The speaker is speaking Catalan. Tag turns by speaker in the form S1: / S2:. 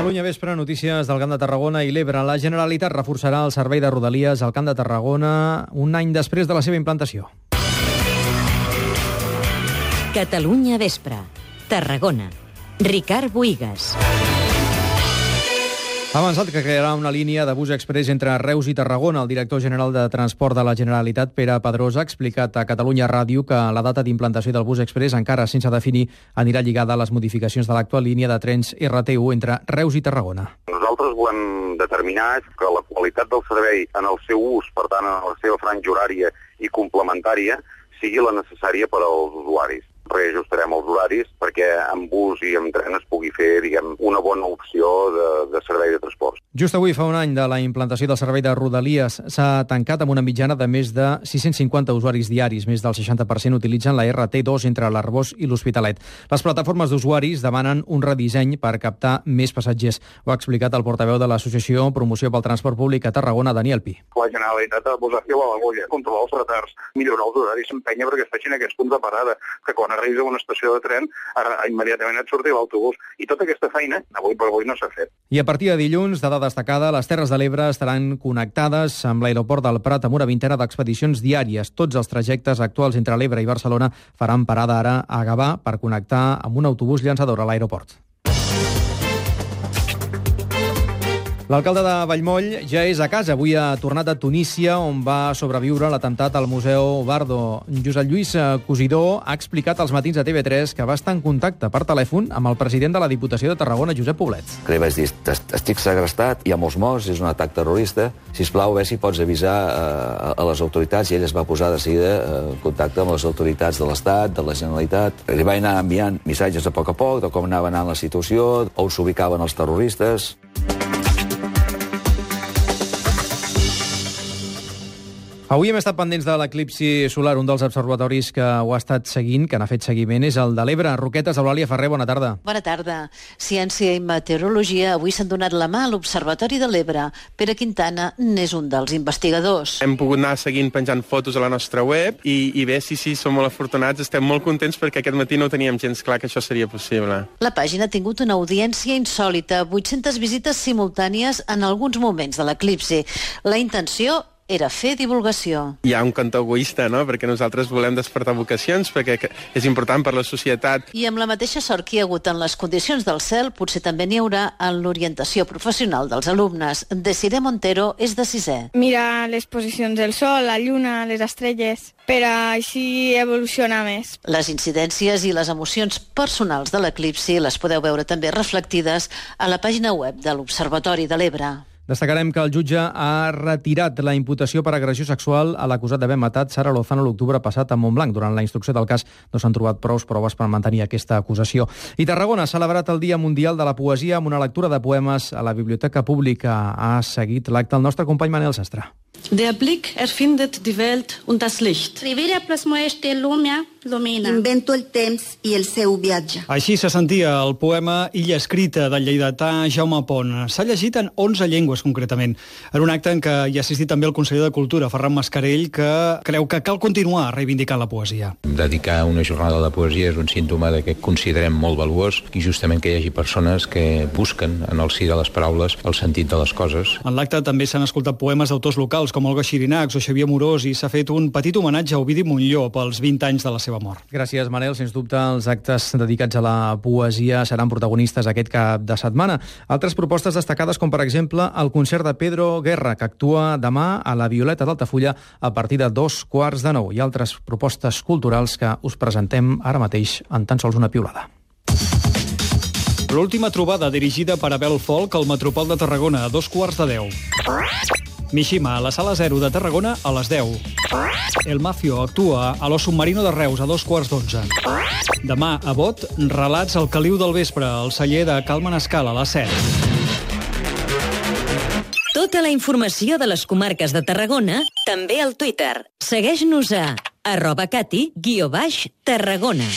S1: Catalunya Vespre, notícies del Camp de Tarragona i l'Ebre. La Generalitat reforçarà el servei de Rodalies al Camp de Tarragona un any després de la seva implantació.
S2: Catalunya Vespre, Tarragona. Ricard Bohigas.
S1: Ha avançat que crearà una línia de bus express entre Reus i Tarragona. El director general de Transport de la Generalitat, Pere Pedrosa, ha explicat a Catalunya Ràdio que la data d'implantació del bus express, encara sense definir, anirà lligada a les modificacions de l'actual línia de trens RT1 entre Reus i Tarragona.
S3: Nosaltres volem determinar que la qualitat del servei en el seu ús, per tant, en la seva franja horària i complementària, sigui la necessària per als usuaris. Reajustarem els horaris perquè amb bus i amb tren es pugui fer, una bona opció de servei de transport.
S1: Just avui fa un any de la implantació del servei de Rodalies. S'ha tancat amb una mitjana de més de 650 usuaris diaris. Més del 60% utilitzen la RT2 entre l'Arboç i l'Hospitalet. Les plataformes d'usuaris demanen un redisseny per captar més passatgers. Ho ha explicat el portaveu de l'Associació Promoció pel Transport Públic a Tarragona, Daniel Pi.
S3: La Generalitat ha de posar fil a l'agulla, controlar els retards, millorar els horaris, s'empenya perquè es facin aquests punts de parada, que quan arribis a una estació de tren, ara immediatament et surti l'autobús. I tota aquesta feina, avui per avui, no s'ha fet.
S1: I a partir de dilluns, dada destacada, les Terres de l'Ebre estaran connectades amb l'aeroport del Prat amb una vintena d'expedicions diàries. Tots els trajectes actuals entre l'Ebre i Barcelona faran parada ara a Gavà per connectar amb un autobús llançador a l'aeroport. L'alcalde de Vallmoll ja és a casa. Avui ha tornat a Tunísia, on va sobreviure l'atemptat al Museu Bardo. Josep Lluís Cosidó ha explicat als matins de TV3 que va estar en contacte per telèfon amb el president de la Diputació de Tarragona, Josep Poblet.
S4: Que li vaig dir, estic segrestat, hi ha molts morts, és un atac terrorista, sisplau, a veure si pots avisar a les autoritats, i ell es va posar de seguida en contacte amb les autoritats de l'Estat, de la Generalitat. Li va anar enviant missatges a poc de com anava anant la situació, on s'ubicaven els terroristes.
S1: Avui hem estat pendents de l'eclipsi solar. Un dels observatoris que ho ha estat seguint, que n'ha fet seguiment, és el de l'Ebre. Roquetes, Eulàlia Ferrer, bona tarda.
S5: Bona tarda. Ciència i meteorologia avui s'han donat la mà a l'Observatori de l'Ebre. Pere Quintana n'és un dels investigadors.
S6: Hem pogut anar seguint penjant fotos a la nostra web i bé, sí, som molt afortunats, estem molt contents perquè aquest matí no ho teníem gens clar que això seria possible.
S5: La pàgina ha tingut una audiència insòlita, 800 visites simultànies en alguns moments de l'eclipsi. La intenció era fer divulgació.
S6: Hi ha un cantó egoista, no?, perquè nosaltres volem despertar vocacions, perquè és important per la societat.
S5: I amb la mateixa sort que hi ha hagut en les condicions del cel, potser també n'hi haurà en l'orientació professional dels alumnes. Desiree Montero és de 6è.
S7: Mira les posicions del sol, la lluna, les estrelles, per a així evolucionar més.
S5: Les incidències i les emocions personals de l'eclipsi les podeu veure també reflectides a la pàgina web de l'Observatori de l'Ebre.
S1: Destacarem que el jutge ha retirat la imputació per agressió sexual a l'acusat d'haver matat Sara Lozano l'octubre passat a Montblanc. Durant la instrucció del cas no s'han trobat prou proves per mantenir aquesta acusació. I Tarragona ha celebrat el Dia Mundial de la Poesia amb una lectura de poemes a la Biblioteca Pública. Ha seguit l'acte el nostre company Manel Sastre.
S8: Der Blick erfindet die Welt und das Licht.
S9: Rivera plasmoeste lumea lumina.
S10: Invento el temps i el seu viatge.
S11: Així se sentia el poema Illa escrita del lleidatà Jaume Pont. S'ha llegit en 11 llengües, concretament, en un acte en què hi ha assistit també el conseller de Cultura, Ferran Mascarell, que creu que cal continuar reivindicant la poesia.
S12: Dedicar una jornada de poesia és un símptoma de que considerem molt valuós i justament que hi hagi persones que busquen en el si de les paraules el sentit de les coses.
S11: En l'acte també s'han escoltat poemes d'autors locals com Olga Xirinacs o Xavier Morós i s'ha fet un petit homenatge a Ovidi Montllor pels 20 anys de la seva mort.
S1: Gràcies, Manel. Sens dubte, els actes dedicats a la poesia seran protagonistes aquest cap de setmana. Altres propostes destacades, com per exemple el concert de Pedro Guerra, que actua demà a la Violeta d'Altafulla a partir de 8:45, i altres propostes culturals que us presentem ara mateix en tan sols una piulada.
S11: L'última trobada dirigida per Abel Folk al Metropol de Tarragona a 9:15. Mishima a la Sala 0 de Tarragona a les 10. El Mafio actua a Lo Submarino de Reus a 2:15. Demà a Bot, relats al Caliu del vespre al celler de Cal Manescal a les 7.
S2: Tota la informació de les comarques de Tarragona, també al Twitter. Segueix-nos a @cati_tarragona.